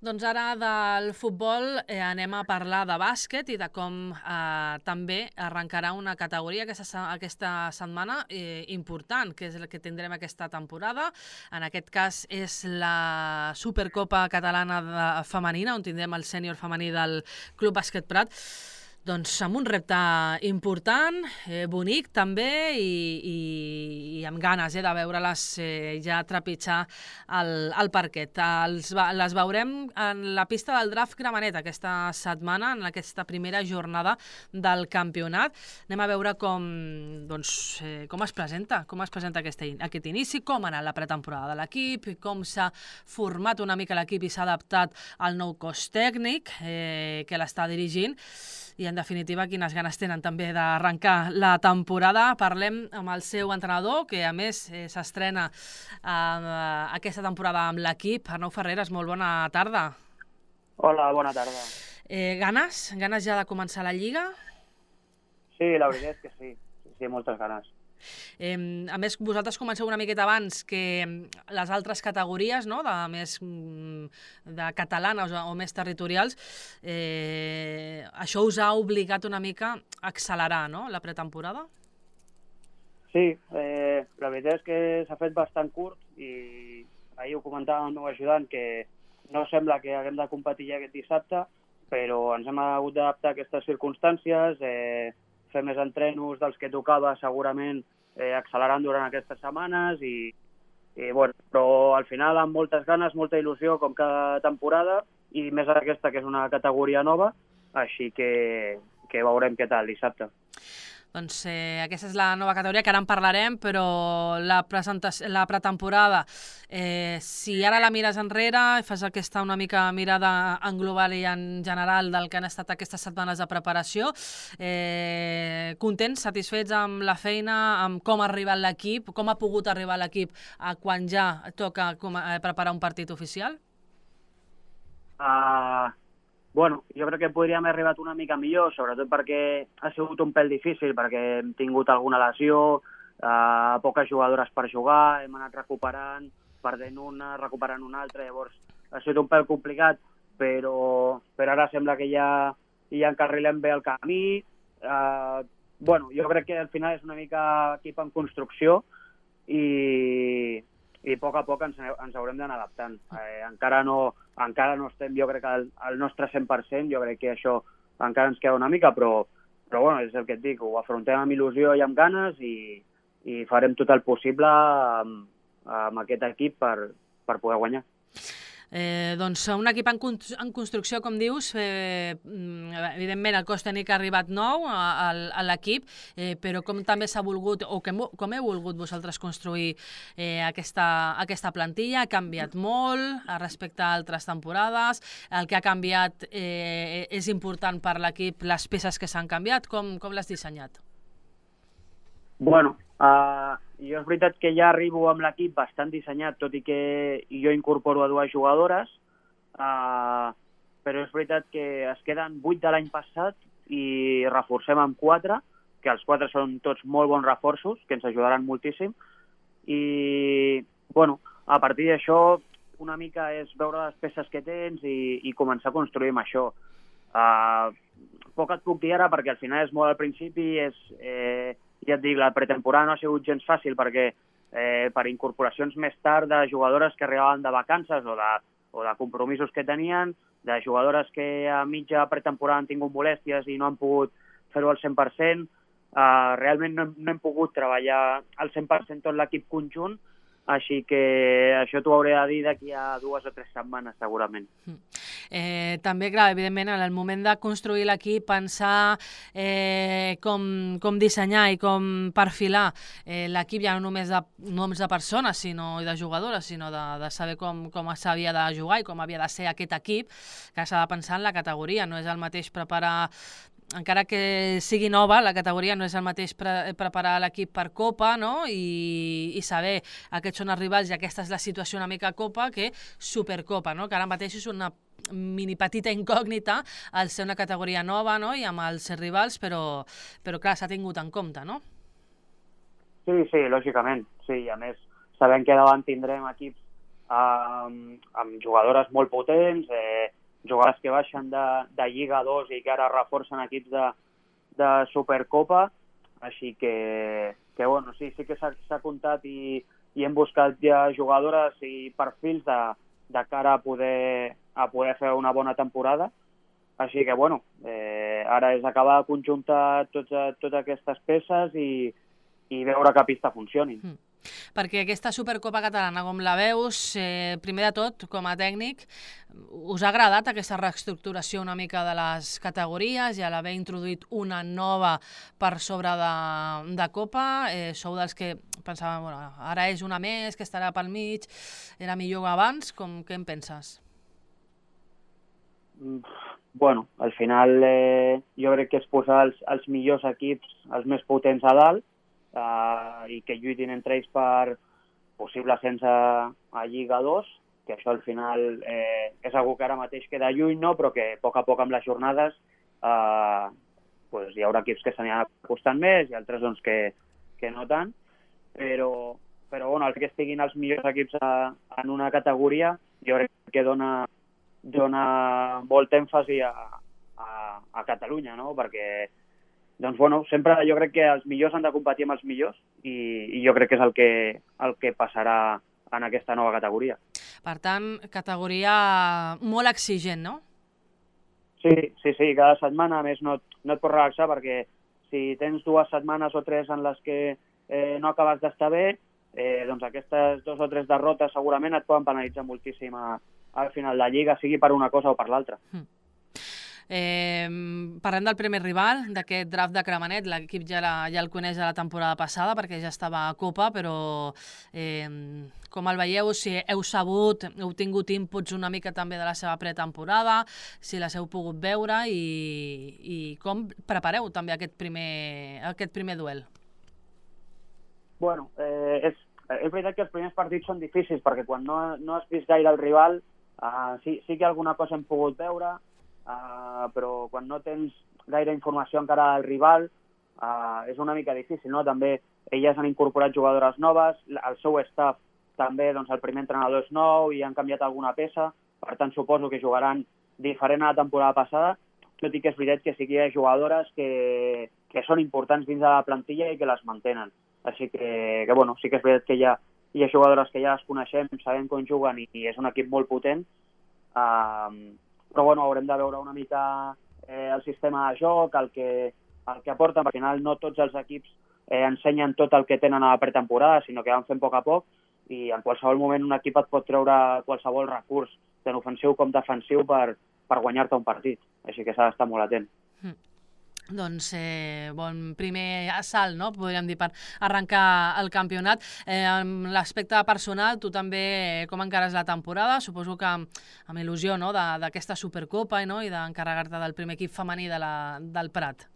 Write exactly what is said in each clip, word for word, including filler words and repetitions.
Doncs ara del futbol eh, anem a parlar de bàsquet i de com eh, també arrencarà una categoria aquesta, aquesta setmana eh, important, que és la que tindrem aquesta temporada. En aquest cas és la Supercopa Catalana de, femenina, on tindrem el sènior femení del Club Bàsquet Prat. Doncs amb un repte important, eh, bonic també, i, i, i amb ganes eh, de veure-les eh, ja trepitjar el, el parquet. Els, les veurem en la pista del Draft Gramenet aquesta setmana, en aquesta primera jornada del campionat. Anem a veure com, doncs, eh, com es presenta, com es presenta aquest, aquest inici, com ha anat la pretemporada de l'equip, com s'ha format una mica l'equip i s'ha adaptat al nou cos tècnic eh, que l'està dirigint. I, en definitiva, quines ganes tenen també d'arrencar la temporada. Parlem amb el seu entrenador, que, a més, eh, s'estrena eh, aquesta temporada amb l'equip. Arnau Ferreres, molt bona tarda. Hola, bona tarda. Eh, ganes? Ganes ja de començar la Lliga? Sí, la veritat és que sí. Sí, sí, moltes ganes. Eh, a més, vosaltres comenceu una miqueta abans que les altres categories, no?, de més de catalanes o, o més territorials. Eh, això us ha obligat una mica a accelerar, no?, la pretemporada? Sí, eh, la veritat és que s'ha fet bastant curt i ahir ho comentava el meu ajudant que no sembla que haguem de competir ja aquest dissabte, però ens hem hagut d'adaptar a aquestes circumstàncies, eh, fer més entrenos dels que tocava segurament eh, accelerant durant aquestes setmanes i, i bueno, però al final amb moltes ganes, molta il·lusió com cada temporada i més aquesta que és una categoria nova, així que, que veurem què tal dissabte. Doncs eh, aquesta és la nova categoria, que ara en parlarem, però la, la pretemporada, eh, si ara la mires enrere, fas aquesta una mica mirada en global i en general del que han estat aquestes setmanes de preparació, eh, contents, satisfets amb la feina, amb com ha arribat l'equip, com ha pogut arribar l'equip a quan ja toca com, eh, preparar un partit oficial? Uh... Bueno, jo crec que podríem haver arribat una mica millor, sobretot perquè ha sigut un pèl difícil, perquè hem tingut alguna lesió, eh, poques jugadores per jugar, hem anat recuperant, perdent una, recuperant una altra, llavors ha sigut un pèl complicat, però, però ara sembla que ja, ja encarrilem bé el camí. Eh, bueno, jo crec que al final és una mica equip en construcció i... i a poc a poc ens, ens haurem d'anar adaptant. Eh, encara, no, encara no estem, jo crec, al, al nostre cent per cent, jo crec que això encara ens queda una mica, però, però bueno, és el que et dic, ho afrontem amb il·lusió i amb ganes i, i farem tot el possible amb, amb aquest equip per, per poder guanyar. Eh, doncs un equip en, en construcció, com dius, eh, evidentment el cos tècnic ha arribat nou a, a l'equip, eh, però com també s'ha volgut, o que, com heu volgut vosaltres construir eh, aquesta, aquesta plantilla, ha canviat molt respecte a altres temporades, el que ha canviat eh, és important per l'equip, les peces que s'han canviat, com, com l'has dissenyat? Bueno, uh, jo és veritat que ja arribo amb l'equip bastant dissenyat, tot i que jo incorporo a dues jugadores, uh, però és veritat que es queden vuit de l'any passat i reforcem amb quatre, que els quatre són tots molt bons reforços, que ens ajudaran moltíssim, i bueno, a partir d'això una mica és veure les peces que tens i, i començar a construir amb això. Uh, poc et puc dir ara perquè al final és molt al principi, és... Eh, ja et dic, la pretemporada no ha sigut gens fàcil perquè eh, per incorporacions més tard de jugadores que arribaven de vacances o de, o de compromisos que tenien, de jugadores que a mitja pretemporada han tingut molèsties i no han pogut fer-ho al cent per cent, eh, realment no, no hem pogut treballar al cent per cent tot l'equip conjunt, així que això t'ho hauré de dir d'aquí a dues o tres setmanes, segurament. Eh, també, clar, evidentment, en el moment de construir l'equip, pensar eh, com, com dissenyar i com perfilar eh, l'equip ja no només de noms de persones sinó de jugadores, sinó de, de saber com, com s'havia de jugar i com havia de ser aquest equip, que s'ha de pensar en la categoria. No és el mateix preparar, encara que sigui nova, la categoria no és el mateix pre preparar l'equip per Copa, no? I, i saber aquests són els rivals i aquesta és la situació una mica Copa que Supercopa, no? Que ara mateix és una mini petita incògnita al ser una categoria nova, no? I amb els rivals, però, però clar, s'ha tingut en compte, no? Sí, sí, lògicament. Sí, a més, sabem que davant tindrem equips amb, amb jugadores molt potents, eh, jugadores que baixen de, de Lliga dos i que ara reforcen equips de, de Supercopa, així que, que bueno, sí, sí que s'ha comptat i, i hem buscat ja jugadores i perfils de, de cara a poder, a poder fer una bona temporada. Així que, bueno, eh, ara és acabar de conjuntar totes, totes aquestes peces i, i veure que a pista funcionin. Mm. Perquè aquesta Supercopa catalana, com la veus, eh, primer de tot, com a tècnic, us ha agradat aquesta reestructuració una mica de les categories i a l'haver introduït una nova per sobre de, de Copa? Eh, sou dels que pensaven, bueno, ara és una més, que estarà pel mig, era millor abans? Com, què en penses? Bueno, al final eh, jo crec que és posar els, els millors equips, els més potents a dalt, Uh, i que lluitin entre ells per possible ascens a, a Lliga dos, que això al final eh, és algo que ara mateix queda lluny, no? Però que a poc a poc amb les jornades uh, pues hi haurà equips que s'aniran acostant més i altres doncs, que, que no tant, però, però bueno, el que estiguin els millors equips a, en una categoria jo crec que dona, dona molt èmfasi a, a, a Catalunya, no? Perquè doncs, bueno, sempre jo crec que els millors han de competir amb els millors i, i jo crec que és el que, el que passarà en aquesta nova categoria. Per tant, categoria molt exigent, no? Sí, sí, sí, cada setmana, a més, no, no et pots relaxar perquè si tens dues setmanes o tres en les que eh, no acabes d'estar bé, eh, doncs aquestes dos o tres derrotes segurament et poden penalitzar moltíssim a, al final de la Lliga, sigui per una cosa o per l'altra. Mm. Eh, parlem del primer rival d'aquest draft de Cremanet. L'equip ja, la, ja el coneix de la temporada passada perquè ja estava a Copa, però eh, com el veieu, si heu sabut, heu tingut inputs una mica també de la seva pretemporada, si les heu pogut veure i, i com prepareu també aquest primer, aquest primer duel? Bueno, eh, és, és veritat que els primers partits són difícils perquè quan no, no has vist gaire el rival eh, sí, sí que alguna cosa hem pogut veure. Uh, però quan no tens gaire informació encara del rival uh, és una mica difícil, no? També elles han incorporat jugadores noves, el seu staff també, doncs el primer entrenador és nou i han canviat alguna peça, per tant suposo que jugaran diferent a la temporada passada, tot i que és veritat que sí que hi ha jugadores que, que són importants dins de la plantilla i que les mantenen. Així que, que bueno, sí que és veritat que hi ha, hi ha jugadores que ja les coneixem, sabem com juguen i, i és un equip molt potent, uh, però bueno, haurem de veure una mica eh, el sistema de joc, el que, el que aporten, perquè al final no tots els equips eh, ensenyen tot el que tenen a la pretemporada, sinó que van fent a poc a poc i en qualsevol moment un equip et pot treure qualsevol recurs, tant ofensiu com defensiu, per, per guanyar-te un partit. Així que s'ha d'estar molt atent. Mm. Doncs eh, bon primer assalt, no? Podríem dir, per arrencar el campionat. Eh, en l'aspecte personal, tu també com encares la temporada? Suposo que amb, amb il·lusió, no? d'aquesta Supercopa, no? I d'encarregar-te del primer equip femení de la, del Prat.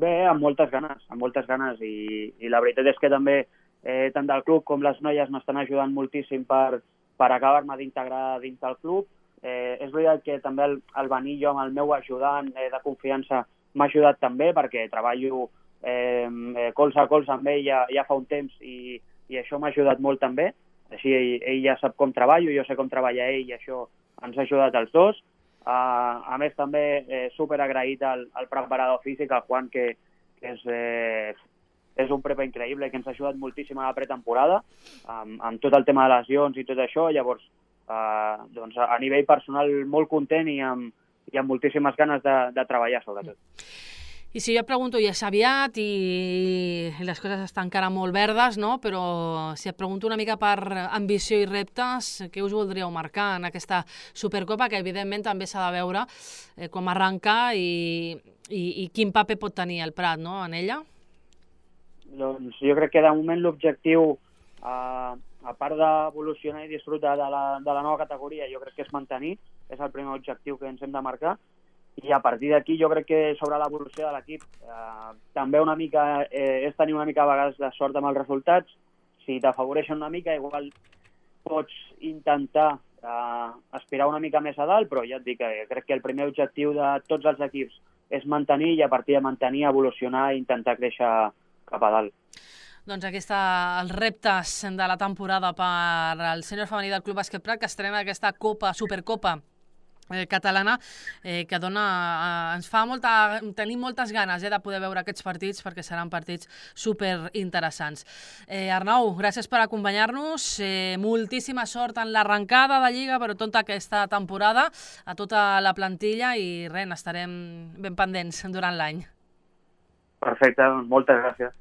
Bé, amb moltes ganes, amb moltes ganes i, i la veritat és que també eh, tant del club com les noies m'estan ajudant moltíssim per, per acabar-me d'integrar dins del club. Eh, és veritat que també el, el venir jo amb el meu ajudant eh, de confiança m'ha ajudat també perquè treballo eh, colze a colze amb ell ja, ja fa un temps i, i això m'ha ajudat molt també. Així ell, ell ja sap com treballo, jo sé com treballa ell i això ens ha ajudat els dos. Uh, a més també eh, super agraït al, al preparador físic, al Juan, que, que és, eh, és un prepa increïble, que ens ha ajudat moltíssim a la pretemporada amb, amb tot el tema de lesions i tot això. Llavors, uh, doncs, a nivell personal molt content i amb i amb moltíssimes ganes de, de treballar, sobretot. I si jo et pregunto, ja és aviat i les coses estan encara molt verdes, no? Però si et pregunto una mica per ambició i reptes, què us voldríeu marcar en aquesta Supercopa, que evidentment també s'ha de veure eh, com arrencar i, i, i quin paper pot tenir el Prat, no?, en ella? Doncs jo crec que de moment l'objectiu, eh, a part d'evolucionar i disfrutar de la, de la nova categoria, jo crec que és mantenir, és el primer objectiu que ens hem de marcar, i a partir d'aquí jo crec que sobre l'evolució de l'equip eh, també una mica eh, és tenir una mica a vegades de sort amb els resultats. Si t'afavoreixen una mica, igual pots intentar eh, aspirar una mica més a dalt, però ja et dic que crec que el primer objectiu de tots els equips és mantenir i a partir de mantenir, evolucionar i intentar créixer cap a dalt. Doncs aquí està els reptes de la temporada per al sènior femení del Club Bàsquet Prat, que estrena aquesta Copa, Supercopa eh, catalana, eh, que dona, eh, ens fa molta, tenim moltes ganes eh, de poder veure aquests partits, perquè seran partits superinteressants. Eh, Arnau, gràcies per acompanyar-nos, eh, moltíssima sort en l'arrencada de Lliga, però tota aquesta temporada, a tota la plantilla, i res, estarem ben pendents durant l'any. Perfecte, moltes gràcies.